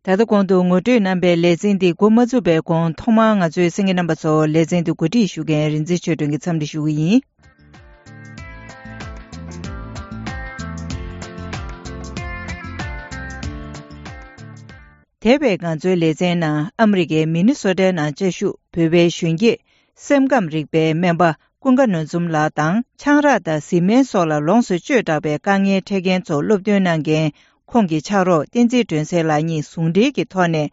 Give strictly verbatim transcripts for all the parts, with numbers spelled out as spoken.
ད་ལྟ་གོང་དུ་ངོ་སྤྲོད་གནང་པའི་ལེ་ཚན་འདི་འགོ་མ་ཚུགས་པའི་གོང་ཐོག་མར་ང་ཚོའི་གསན་མཁན་རྣམ་པ་ཚོ་ལེ་ཚན་འདི་གོ་སྒྲིག་ཞུ་མཁན་རིག་འཛིན་ཆོས་སྒྲོན་གྱིས་འཚམས་འདྲི་ཞུ་གི་ཡིན། འདས་པའི་ང་ཚོའི་ལེ་ཚན་ནང་ཨ་མི་རི་ཀའི་མི་ནི་སོ་ཊའི་ནང་བཅའ་བཞུགས་བོད་པའི་གཞོན་སྐྱེས་སེམས་ཁམས་རིག་པའི་སྨན་པ་ཀུན་དགའ་ནོར་འཛོམས་ལགས་དང་། ཆང་རག་དང་བཟི་སྨན་སོགས་ལ་ལོངས་སུ་སྤྱོད་དྲགས་པའི་དཀའ་ངལ་འཕྲད་མཁན་ཚོར་སློབ་སྟོན་གནང་མཁན་ཁོང་གི་ཕྱག་རོགས་བསྟན་འཛིན་སྒྲོན་གསལ་ལགས་གཉིས་ཟུང་འབྲེལ་གྱི་ཐོག་ནས།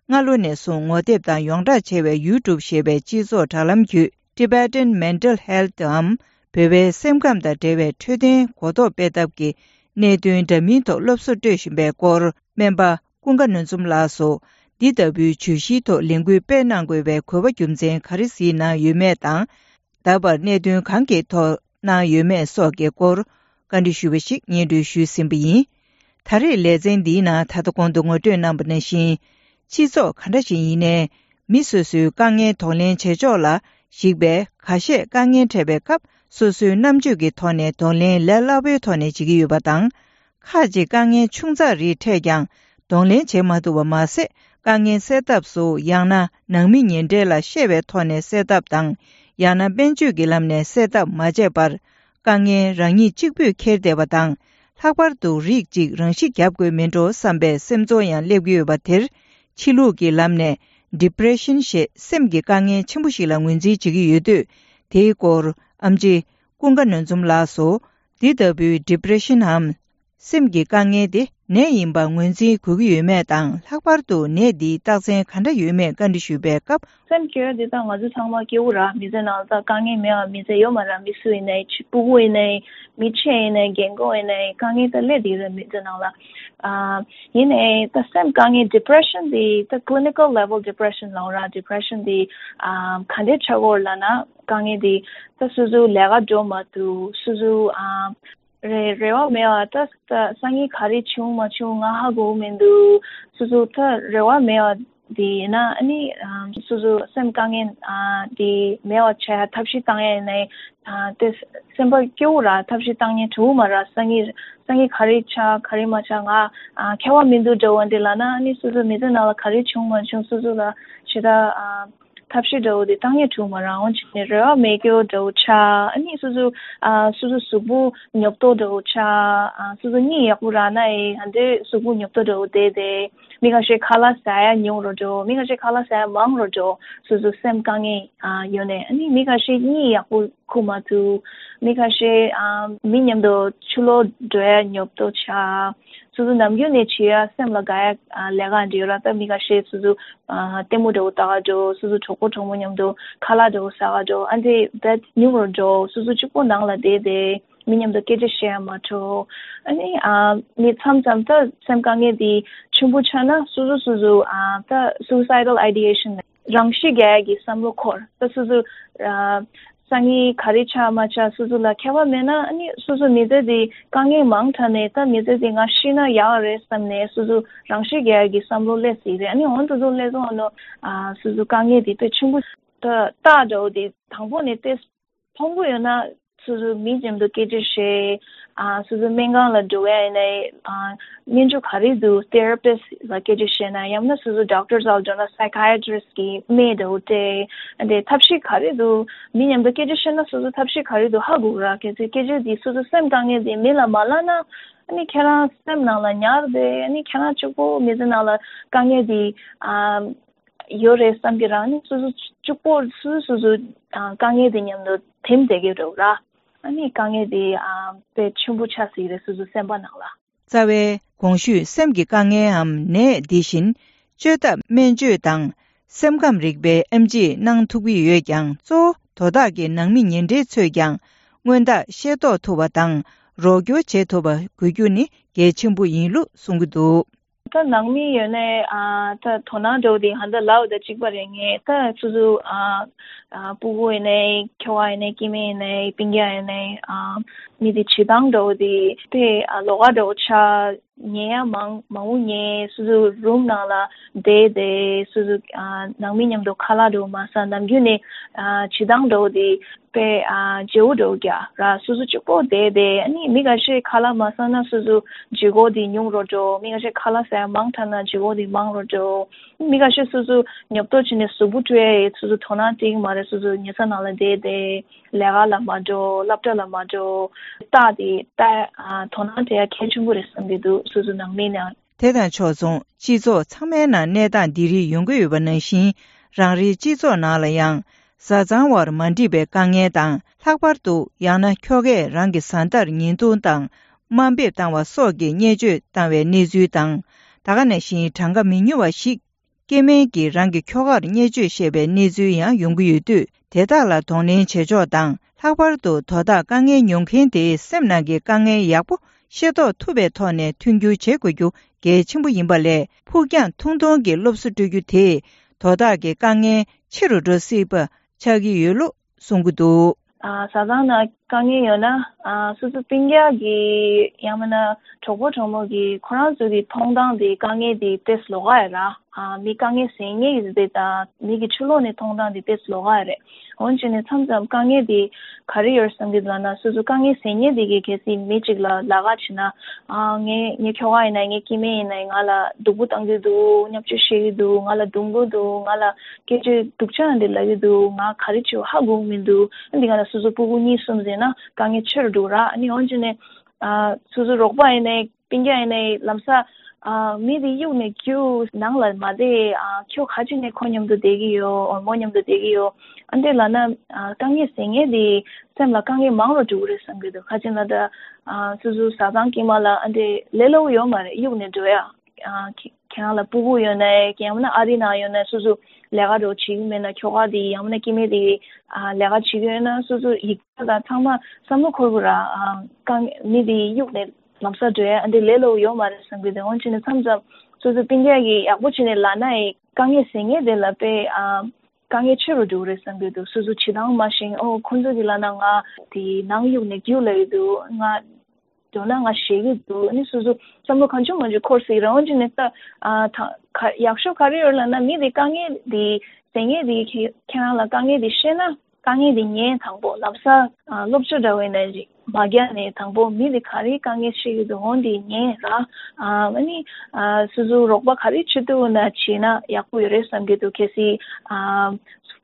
སྔ་ལོ་ནས་བཟུང་ངོ་དེབ་དང་ཡོངས་བསྒྲགས་བྱས་པའི་YouTube ཞེས་པའི་སྤྱི་ཚོགས་དྲ་ལམ་བརྒྱུད། Tibetan Mental Health འམ། བོད་པའི་སེམས་ཁམས་དང་འབྲེལ་བའི་འཕྲོད་བསྟེན་གོ་རྟོགས་སྤེལ་ཐབས་ཀྱི་གནད་དོན་འདྲ་མིན་ཐོག་སློབ་གསོ་སྤྲོད་བཞིན་པའི་སྐོར། སྨན་པ་ཀུན་དགའ་ནོར་འཛོམས་ལགས་སུ། འདི་ལྟ་བུའི་བརྗོད་གཞིའི་ཐོག་ལས་འགུལ་སྤེལ་གནང་དགོས་པའི་དགོས་པ་རྒྱུ་མཚན་ག་རེ་གཟིགས་གནང་ཡོད་མེད་དང་། ད་བར་གནད་དོན་གང་གི་ཐོག་གནང་ཡོད་མེད་སོགས་ཀྱི་སྐོར། བཀའ་འདྲི་ཞུས་པ་ཞིག་སྙན་སྒྲོན་ཞུས་ཟིན་པ་ཡིན། ད་རེས་ལེ་ཚན་འདིའི་ནང་ད་ལྟ་གོང་དུ་ངོ་སྤྲོད་གནང་པ་ནང་བཞིན། སྤྱི་ཚོགས་ག་འདྲ་ཞིག་ཡིན་ནའི། མི་སོ་སོའི་དཀའ་ངལ་གདོང་ལེན་བྱེད་ཕྱོགས་ལ་གཞིགས་པའི་ཁ་ཤས་དཀའ་ངལ་འཕྲད་པའི་སྐབས་སོ་སོའི་རྣམ་དཔྱོད་ཀྱི་ཐོག་ནས་གདོང་ལེན་ལས་སླ་པོའི་ཐོག་ནས་བྱེད་ཀྱི་ཡོད་པ་དང་། ཁག་ཅིག་དཀའ་ངལ་ཆུང་ཙག་རིགས་འཕྲད་ཀྱང་གདོང་ལེན་བྱེད་མ་ཐུབ་པ་མ་ཟད། དཀའ་ངལ་སེལ་ཐབས་སུ་ཡང་ན་ནང་མི་ཉེ་འབྲེལ་ལ་བཤད་པའི་ཐོག་ནས་སེལ་ཐབས་དང་། ཡང་ན་སྨན་བཅོས་ཀྱི་ལམ་ནས་སེལ་ཐབས་མ་བྱས་པར། དཀའ་ངལ་རང་ཉིད་གཅིག་པུས་འཁྱེར་བསྡད་པ་དང་། ལྷག་པར་དུ་རིགས་གཅིག་རང་ཤི་བརྒྱབ་དགོས་མིན་འགྲོ་བསམ་པའི་སེམས་ཚོར་ཡང་སླེབས་ཀྱི་ཡོད་པ་དེར། ཕྱི་ལུགས་ཀྱི་ལམ་ནས་Depression ཞེས་སེམས་ཀྱི་དཀའ་ངལ་ཆེན་པོ་ཞིག་ལ་ངོས་འཛིན་བྱེད་ཀྱི་ཡོད་དུས། དེའི་སྐོར་ཨེམ་ཆི་ཀུན་དགའ་ནོར་འཛོམས་ལགས་སུ། འདི་ལྟ་བུའི་Depression འམ། སེམས་ཀྱི་དཀའ་ངལ་དེ་ནད་ཡིན་པ་ངོས་འཛིན་དགོས་ཀྱི་ཡོད་མེད་དང་། ལྷག་པར་དུ་ནད་འདིའི་རྟགས་མཚན་ག་འདྲ་ཡོད་མེད་བཀའ་འདྲི་ཞུས་པའི་སྐབས། སེམས་སྐྱོ་བ་འདི་ད་ང་ཚོ་ཚང་མ་སྐྱོ་བོ་ར། མི་ཚེ་ནང་ད་དཀའ་ངལ་མེད་པ་མི་ཚེ་ཡོད་མ་ར། མི་སུ་ཡིན་ནའི་ཕྲུ་གུ་ཡིན་ནའི་མི་ཆེ་ཡིན་ནའི་རྒན་གོག་ཡིན་ནའི་དཀའ་ངལ་ད་སླེབས་བསྡད་ར་མི་ཚེ་ནང་ལ། ཨ། ཡིན་ནའི་ད་སེམས་དཀའ་ངལ་Depression འདི་ད་clinical level Depression ལབ་ར། Depression འདི་ཨ་ག་འདྲའི་ཆགས་ཀྱི་ཡོད་ལབ་ན། དཀའ་ངལ་འདི་ད་སོ་སོ་ལས་ཀ་འགྲོ་མ་ཐུབ། སོ་སོ་ཨ། རེ་རེ་བ་མེད་པ་ད་ད་སང་ཉིན་ག་རེ་བྱུང་མ་བྱུང་ང་ཧ་གོ་མི་འདུག་སོ་སོ་ད་རེ་བ་མེད་པ་དེ་ཡིན་ན། ཨ་ནི་ཨ་སོ་སོ་སེམས་དཀའ་ངལ་ཨ་དེ་མེད་པ་བྱ་ཡ་ཐབས་ཤེས་བཏང་ཡ་ཡིན་ནའི་ཨ་དེ་སེམས་པ་སྐྱོ་བོ་ར། ཐབས་ཤེས་བཏང་མཁན་འགྲོ་གི་མ་ར། སང་ཉིན་སང་ཉིན་ག་རེ་ཆགས་ག་རེ་མ་ཆགས་ང་ཨ་ཁྱད་པར་མི་འདུག་འདྲ་བོ་འདི་ལབ་ན། ཨ་ནི་སོ་སོ་མི་ཚེ་ནང་ལ་ག་རེ་བྱུང་མ་བྱུང་སོ་སོ་ལ་ཞེ་དྲག་ཨ། ཐབས་ཤེས་འདྲ་བོ་དེ་བཏང་ཡས་འགྲོ་མ་རང་འོང་བྱས་ནས་རེ་བ་མེད་སྐྱོ་འདྲ་བོ་ཆགས། ཨ་ནི་སོ་སོ་ཨ་སོ་སོ་གཟུགས་པོ་ཉོབ་ཏོ་འདྲ་བོ་ཆགས། ཨ་སོ་སོ་གཉིད་ཡག་པོ་རག་ན་ཨེ་ཧ་འདྲའི་གཟུགས་པོ་ཉོབ་ཏོ་འདྲ་བོ་བསྡད་དེ། མི་ཁ་ཤས་ཁ་ལག་ཟ་ཡ་ཉུང་རུ་འགྲོ། མི་ཁ་ཤས་ཁ་ལག་ཟ་ཡ་མང་རུ་འགྲོ། སོ་སོ་སེམས་དཀའ་ངལ་ཨ་ཡོད་ནས། ཨ་ནི་མི་ཁ་ཤས་གཉིད་ཡག་པོ་ཁུག་མ་ཐུབ། མི་ཁ་ཤས་ཨ་མི་མཉམ་དུ་ཕྱི་ལོགས་འགྲོ་ཡ་ཉོབ་ཏོ་ཆགས། སོ་སོ་ནམ་རྒྱུན་ནས་བྱེད་ཡ་སེམས་ལ་དགའ་ཡ་ཨ་ལས་ཀ་འདྲ་ཡོད་ར། ད་མི་ཁ་ཤས་སོ་སོ་ཨ་ལྟད་མོ་འདྲ་བོ་ལྟ་ག་འགྲོ། སོ་སོ་གྲོགས་པོ་གྲོགས་མོ་མཉམ་དུ་ཁ་ལག་འདྲ་བོ་ཟ་ག་འགྲོ། ཨ་འདྲ་བས་ཉུང་རུ་འགྲོ། སོ་སོ་གཅིག་པོ་ནང་ལ་བསྡད་དེ་མི་མཉམ་དུ་སྐད་ཆ་བཤད་ཡ་མ་འགྲོ། ཨ་ནི་ཨ་མི་མཚམས་མཚམས་ད་སེམས་དཀའ་ངལ་དེ་ཆེན་པོ་ཆགས་ན་སོ་སོ་སོ་སོ་ཨ་ད་suicidal ideation རང་ཤི་རྒྱག་ཡ་གི་བསམ་བློ་འཁོར། ད་སོ་སོ་ཨ་སང་ཉིན་ག་རེ་ཆགས་མ་ཆགས་སོ་སོ་ལ་ཁྱད་པར་མེད་ན། ཨ་ནི་སོ་སོ་མི་ཚེ་འདི་དཀའ་ངལ་མང་དྲགས་ནས་ད་མི་ཚེ་འདི་ང་ཤི་ན་ཡག་རེད་བསམ་ནས་སོ་སོ་རང་ཤི་རྒྱག་ཡ་གི་བསམ་བློ་སླེབས་སྲིད་རེད། ཨ་ནི་འོ་འདུག་འདུག་སླེབས་སོང་ཨ་ནོ། ཨ་སོ་སོ་དཀའ་ངལ་འདི་དཔེ་ཆེན་པོ་ད་རྟགས་འདྲ་བོ་འདི་དང་པོ་ནས་དཔེ་ཕོང་པོ་ཡོད་ན་སོ་སོ་མི་མཉམ་དུ་སྐད་ཆ་བཤད། ཨ་སོ་སོ་སྨན་ཁང་ལ་འགྲོ་ཡ་ཡིན་ནའི་ཨ་སྨན་བཅོས་ག་རེ་འདུག therapist ལ་སྐད་ཆ་བཤད་ན། ཡང་ན་སོ་སོ་doctor ལ་འགྲོ་ན་psychiatrist གི་སྨན་འདྲ་བོ་སྤྲད། ཨ་དེ་ཐབས་ཤེས་ག་རེ་འདུག་མི་མཉམ་དུ་སྐད་ཆ་བཤད་ན་སོ་སོ་ཐབས་ཤེས་ག་རེ་འདུག་ཧ་གོ་གི་ར། གལ་སྲིད་སྐད་ཆ་འདི་སོ་སོ་སེམས་དཀའ་ངལ་འདི་མི་ལ་མ་ལབ་ན། ཨ་ནི་ཁྱེད་རང་སེམས་ནང་ལ་ཉར་བསྡད། ཨ་ནི་ཁྱེད་རང་གཅིག་པོ་མི་ཚེ་ནང་ལ་དཀའ་ངལ་འདི་ཨ་ཡོད་རེད་བསམ་གྱི་རང་ནི་སོ་སོ་གཅིག་པོ་སོ་སོ་སོ་སོ་ཨ་དཀའ་ངལ་དེ་མཉམ་དུ་དེམ་བསྡད་ཀྱི་རེད་ར། ཨ་ནི་དཀའ་ངལ་དེ་ཨ་དཔེ་ཆེན་པོ་ཆགས་སྲིད་རེད་སོ་སོ་སེམས་པ་ནང་ལ། རྩ་བའི་གོང་ཞུས་སེམས་ཀྱི་དཀའ་ངལའམ་ནད་འདི་བཞིན་བཅོས་ཐབས་སྨན་བཅོས་དང་སེམས་ཁམས་རིག་པའི་ཨེམ་ཆིས་གནང་ཐུབ་ཀྱི་ཡོད་ཀྱང་། གཙོ་བོ་དོ་བདག་གི་ནང་མི་ཉེ་འབྲེལ་ཚོས་ཀྱང་སྔོན་ཐག་ཤེས་རྟོགས་ཐུབ་པ་དང་རོགས་སྐྱོར་བྱེད་ཐུབ་པ་དགོས་རྒྱུ་ནི་གལ་ཆེན་པོ་ཡིན་ལུགས་གསུང་གི་འདུག་ད་ནང་མི་ཡོད་ནའི་ཨ་ད་དོ་སྣང་འདྲ་བོ་དེ་ཧ་ད་ལབ་ད་གཅིག་པ་རེད། ངས་ད་སོ་སོ་ཨ་ཨ་སྤུ་གུ་ཡིན་ནའི་ཁྱོ་ག་ཡིན་ནའི་སྐྱེ་དམན་ཡིན་ནའི་སྤུན་ཀྱག་ཡིན་ནའི་ཨ་མི་དེ་བྱེད་སྟངས་འདྲ་བོ་དེ་དཔེ་ཨ་ལོགས་ཀ་འདྲ་བོ་ཆགས། ཉལ་ཡ་མང་མང་པོ་ཉལ། སོ་སོ་རུམ་ནང་ལ་བསྡད་དེ་སོ་སོ་ཨ་ནང་མི་མཉམ་དུ་ཁ་ལག་འདྲ་བོ་མ་ཟ། ནམ་རྒྱུན་ནས་ཨ་བྱེད་སྟངས་འདྲ་བོ་དེ་དཔེ་ཨ་བརྗེ་པོ་འདྲ་བོ་རྒྱག་ར། སོ་སོ་གཅིག་པོ་བསྡད་དེ། ཨ་ནི་མི་ཁ་ཤས་ཁ་ལག་མ་ཟ་ན་སོ་སོ་བརྗེ་པོ་དེ་ཉུང་རུ་འགྲོ། མི་ཁ་ཤས་ཁ་ལག་ཟ་ཡ་མང་དྲགས་ན་བརྗེ་པོ་དེ་མང་རུ་འགྲོ། མི་ཁ་ཤས་སོ་སོ་ཉོབ་ཏོ་བྱས་ནས་གཟུགས་པོ་བཀྲུ་ཡ་ཡི་སོ་སོ་དོ་སྣང་སྤྲད་ཀྱི་མ་རེད། སོ་སོ་ཉལ་ས་ནང་ལ་བསྡད་དེ་ལས་ཀ་ལ་མ་འགྲོ། སློབ་གྲྭ་ལ་མ་འགྲོ། རྟགས་དེ་ལྟ་ཨ་དོ་སྣང་སྤྲད་ཡ་གལ་ཆེན་པོ་རེད་བསམ་གྱི་འདུག་སོ་སོ་ནང་མི་ནང་། དེ་དང་ཕྱོགས་མཚུངས། སྤྱི་ཚོགས་ཚང་མའི་ནང་གནས་སྟངས་འདི་རིགས་ཡོང་གི་ཡོད་པ་ནང་བཞིན། རང་རེའི་སྤྱི་ཚོགས་ནང་ལ་ཡང་། བཟའ་ཚང་བར་མ་འགྲིག་པའི་དཀའ་ངལ་དང་། ལྷག་པར་དུ་ཡང་ན་ཁྱོ་གས་རང་གི་བཟའ་ཟླར་བརྙན་ཐུང་དང་། དམའ་འབེབས་བཏང་བ་སོགས་ཀྱི་བརྙས་བཅོས་བཏང་བའི་གནས་ཚུལ་དང་། ད་ག་ནང་བཞིན་གྲངས་ཀ་མི་ཉུང་བ་ཞིག་སྐྱེ་དམན་གྱིས་རང་གི་ཁྱོ་གར་བརྙས་བཅོས་བཤད་པའི་གནས་ཚུལ་ཡང་ཡོང་གི་ཡོད་དུས། དེ་དག་ལ་གདོང་ལེན་བྱེད་ཕྱོགས་དང་། ལྷག་པར་དུ་དོ་བདག་དཀའ་ངལ་མྱོང་མཁན་དེའི་སེམས་ནང་གི་དཀའ་ངལ་ཡག་པོ་ཤེས་རྟོགས་ཐུབ་པའི་ཐོག་ནས་མཐུན་འགྱུར་བྱེད་དགོས་རྒྱུ་གལ་ཆེན་པོ་ཡིན་པ་ལས། ཕུགས་རྒྱང་ཐུང་ཐུང་གི་སློབ་གསོ་སྤྲོད་རྒྱུ་དེས་དོ་བདག་གི་དཀའ་ངལ་ཆེ་རུ་འགྲོ་སྲིད་པ་ཆགས་ཀྱི་ཡོད་ལུགས་གསུང་གི་འདུག་ཨ། བཟའ་ཚང་ནང་དཀའ་ངལ་ཡོད་ན། ཨ། སོ་སོ་སྤུན་ཀྱག་གི་ཡང་མིན་ན་གྲོགས་པོ་གྲོགས་མོ་གི་ཁོ་རང་ཚོ་གི་མཐོང་སྟངས་དེ་དཀའ་ངལ་དེ་ཏོག་ཙམ་ལོགས་ཀ་ཡོད་ར། ཨ། མི་དཀའ་ངལ་སེལ་མཁན་གྱི་དེ་དང་མི་གི་ཕྱི་ལོགས་ནས་མཐོང་སྟངས་དེ་ཏོག་ཙམ་ལོགས་ཀ་ཡོད་རེད། འོན་ཀྱང་ནས་མཚམས་མཚམས་དཀའ་ངལ་དེ་ག་རེ་ཡོད་བསམ་གྱི་འདུག་ལབ་ན། སོ་སོ་དཀའ་ངལ་སེལ་མཁན་དེ་གིས་གལ་སྲིད་མི་གཅིག་ལ་ལབ་ཀ་བྱས་ན། ཨ། ངའི་ངའི་ཁྱོ་ག་ཡིན་ན། ངའི་སྐྱེ་དམན་ཡིན་ན། ང་ལ་སྡུག་པོ་བཏང་གི་འདུག་བརྙས་བཅོས་བཤད་ཀྱི་འདུག་ང་ལ་རྡུང་གི་འདུག་ང་ལ་སྐད་ཆ་སྡུག་ཅག་འདི་ལབ་ཀྱི་འདུག་ང་ག་རེ་བྱེད་ཧ་གོ་གི་མི་འདུག་འདི་ག་ལ་སོ་སོ་སྤུ་གུ་གཉིས་གསུམ་ཟེར་ན་དཀའ་ངལ་ཆེ་རུ་འགྲོ་ར། ཨ་ནི་འོན་ཀྱང་ནས། ཨ། སོ་སོ་རོགས་པ་ཡིན་ནའི་སྤུན་ཀྱག་ཡིན་ནའི་ལམ་སང་། ཨ། མི་དེ་གཡུག་ནས་རྒྱུགས་ནང་ལ་མ་བསྡད། ཨ། ཁྱོད་ག་ཅི་ནས་ཁོ་མཉམ་དུ་བསྡད་ཀྱི་ཡོད། འོ། མོ་མཉམ་དུ་བསྡད་ཀྱི་ཡོད། ཨ་འདྲས་ལབ་ན། ཨ། དཀའ་ངལ་སེལ་མཁན་དེ་སེམས་ལ་དཀའ་ངལ་མང་རུ་འགྲོ་གི་རེད་བསམ་གྱི་འདུག་ག་ཅི་ལབ་ན་ད། ཨ། སོ་སོ་བཟའ་ཚང་དཀྱིལ་མ་ལ་ཨ་འདྲས་ལས་སླ་པོ་ཡོད་མ་རེད། གཡུག་ནས་འགྲོ་ཡ། ཨ། ཁྱེད་ཁྱེད་རང་ལ་སྤུ་གུ་ཡོད་ན་ཡང་མིན་ན་ཨ་རི་ནང་ཡོད་ན། སོ་སོ་ལས་ཀ་འདྲ་བོ་བྱེད་ཀྱི་མེད་ན། ཁྱོ་ག་དེ་ཡང་མིན་ན་སྐྱེ་དམན་དེ་ཨ་ལས་ཀ་བྱེད་ཀྱི་ཡོད་ན། སོ་སོ་ཡིག་ཚད་དང་ཚང་མ་བསམ་བློ་འཁོར་དགོས་ར། ཨ། དཀའ་ངལ་མི་དེ་གཡུག་ནས་ལམ་སང་འགྲོ་ཡ་ཨ་འདྲས་ལས་སླ་པོ་ཡོད་མ་རེད་བསམ་གྱི་འདུག་འོན་ཀྱང་ནས་མཚམས་མཚམས་སོ་སོ་སྤུན་ཀྱག་གིས་ཡག་པོ་བྱས་ནས་ལབ་ན་ཡང་། དཀའ་ངལ་སེལ་མཁན་དེ་ལ་དཔེ། ཨ། དཀའ་ངལ་ཆེ་རུ་འགྲོ་གི་རེད་བསམ་གྱི་འདུག་སོ་སོ་བྱེད་སྟངས་མ་ཤེས། ཨོ། ཁོ་ཚོ་གིས་ལབ་ན་ང་དེ་ནང་གཡུག་ནས་རྒྱུགས་ལབ་ཀྱི་འདུག་ང་འགྲོ་ན་ང་ཞེད་ཀྱི་འདུག་ཨ་ནི་སོ་སོ་བསམ་བློ་གང་བྱུང་མང་བྱུང་འཁོར་སྲིད་ར། འོན་ཀྱང་ནས་ད། ཨ། ད་ག་ཡག་ཤོས་ག་རེ་ཡོད་ལབ་ན། མི་དེ་དཀའ་ངལ་དེ་སེལ་མཁན་དེ་ཁྱེད་ཁྱེད་རང་ལ་དཀའ་ངལ་དེ་བཤད་ན། དཀའ་ངལ་དེ་ཉན། དང་པོ་ལམ་སང་། ཨ། སློབ་གསོ་འདྲ་བོ་ཡིན་ན་རེད། མ་རྒྱག་ནས་དང་པོ་མི་དེ་ག་རེ་དཀའ་ངལ་བཤད་ཀྱི་འདུག་འོ་འདི་ཉན་ར། ཨ། ཨ་ནི། ཨ། སོ་སོ་རོགས་པ་ག་རེ་བྱེད་ཐུབ་ན་བྱས་ན་ཡག་པོ་ཡོད་རེད་བསམ་གྱི་འདུག་གལ་སྲིད། ཨ།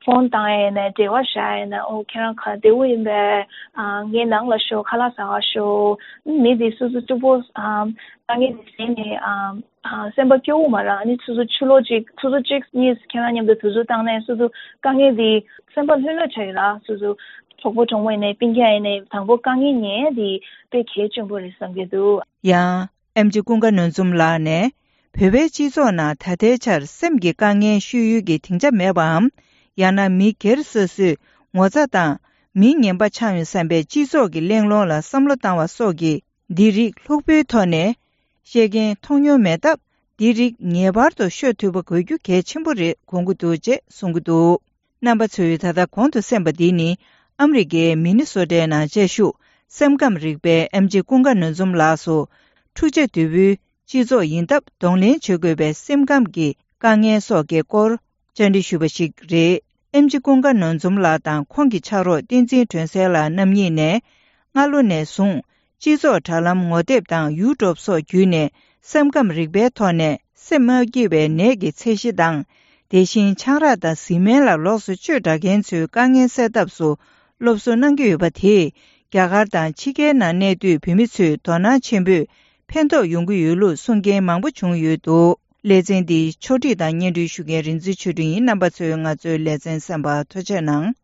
ཕོན་བཏང་ཡ་ཡིན་ན། འབྲེལ་བ་བཞག་ཡ་ཡིན་ན། ཨོ། ཁྱེད་རང་ག་བདེ་པོ་ཡིན་པས། ཨ། ངའི་ནང་ལ་ཤོག་ཁ་ལག་ཟ་ག་ཤོག་མི་དེ་སོ་སོ་གཅིག་པོ། ཨ། དཀའ་ངལ་དེ་ཟིན་ནས། ཨ། ཨ། སེམས་པ་སྐྱོ་བོ་མ་རག་ཨ་ནི་སོ་སོ་ཕྱི་ལོགས་གཅིག་སོ་སོ་གཅིག་གཉིས་ཁྱེད་རང་མཉམ་དུ་དུས་ཚོད་བཏང་ནས་སོ་སོ་དཀའ་ངལ་དེ་སེམས་པ་ལྷོད་ལྷོད་ཆགས་ཀྱི་ར། སོ་སོ་གྲོགས་པོ་གྲོགས་མོ་ཡིན་ནའི་སྤུན་ཀྱག་ཡིན་ནའི་དང་པོ་དཀའ་ངལ་ཉན་ཡ་དེ་དཔེ་གལ་ཆེན་པོ་རེད་བསམ་གྱི་འདུག་ཡང་། ཨེམ་ཆི་ཀུན་དགའ་ནོར་འཛོམས་ལགས་ནས། བོད་པའི་སྤྱི་ཚོགས་ནང་ད་ལྟའི་ཆར་སེམས་ཀྱི་དཀའ་ངལ་ཤོད་ཡུལ་གྱི་སྡིངས་ཆ་མེད་པའམ། ཡང་ན་མི་སྒེར་སོ་སོས་ངོ་ཚ་དང་། མི་ངན་པ་ཆགས་ཡོང་བསམ་པའི་སྤྱི་ཚོགས་ཀྱི་གླེང་སློང་ལ་བསམ་བློ་བཏང་བ་སོགས་ཀྱི། འདི་རིགས་ལྷུག་པོའི་ཐོག་ནས་བཤད་མཁན་མཐོང་མྱོང་མེད་སྟབས། འདི་རིགས་ངེས་པར་དུ་ཤོད་ཐུབ་པ་དགོས་རྒྱུ་གལ་ཆེན་པོ་རེད་དགོངས་ཀྱི་འདུག་ཅེས་གསུང་གི་འདུག་རྣམ་པ་ཚོས་ད་ལྟ་གོང་དུ་གསན་པ་འདི་ནི། ཨ་མི་རི་ཀའི་མི་ནི་སོ་ཊའི་ནང་བཅའ་བཞུགས་སེམས་ཁམས་རིག་པའི་ཨེམ་ཆི་ཀུན་དགའ་ནོར་འཛོམས་ལགས་སུ། འཁྲུག་ཆ་དོད་པོའི་སྤྱི་ཚོགས་ཡིན་སྟབས། གདོང་ལེན་བྱེད་དགོས་པའི་སེམས་ཁམས་ཀྱི་དཀའ་ངལ་སོགས་ཀྱི་སྐོར། བཅར་འདྲི་ཞུས་པ་ཞིག་རེད། ཨེམ་ཆི་ཀུན་དགའ་ནོར་འཛོམས་ལགས་དང་ཁོང་གི་ཕྱག་རོགས་བསྟན་འཛིན་སྒྲོན་གསལ་ལགས་རྣམ་གཉིས་ནས། སྔ་ལོ་ནས་བཟུང་སྤྱི་ཚོགས་དྲ་ལམ་ངོ་དེབ་དང་ཡུ་ཊུབ་སོགས་བརྒྱུད་ནས་སེམས་ཁམས་རིག་པའི་ཐོག་ནས་སེམས་མ་སྐྱིད་པའི་ནད་ཀྱི་ཚད་གཞི་དང་། དེ་བཞིན་ཆང་རག་དང་བཟི་སྨན་ལ་ལོགས་སུ་བཅོས་དྲགས་མཁན་ཚོའི་དཀའ་ངལ་སེལ་ཐབས་སུ་སློབ་གསོ་གནང་གི་ཡོད་པ་དེས། རྒྱ་གར་དང་ཕྱི་རྒྱལ་ནང་གནས་སྡོད་བོད་མི་ཚོས་དོ་སྣང་ཆེན་པོས་ཕན་ཐོགས་ཡོང་གི་ཡོད་ལུགས་གསུང་མཁན་མང་པོ་བྱུང་ཡོད་འདུག་ལེ་ཚན་འདི་ཕྱོགས་སྒྲིག་དང་སྙན་སྒྲོན་ཞུ་མཁན་རིག་འཛིན་ཆོས་སྒྲོན་ཡིན། རྣམ་པ་ཚོས་ང་ཚོའི་ལེ་ཚན་གསན་པར་ཐུགས་རྗེ་གནང་།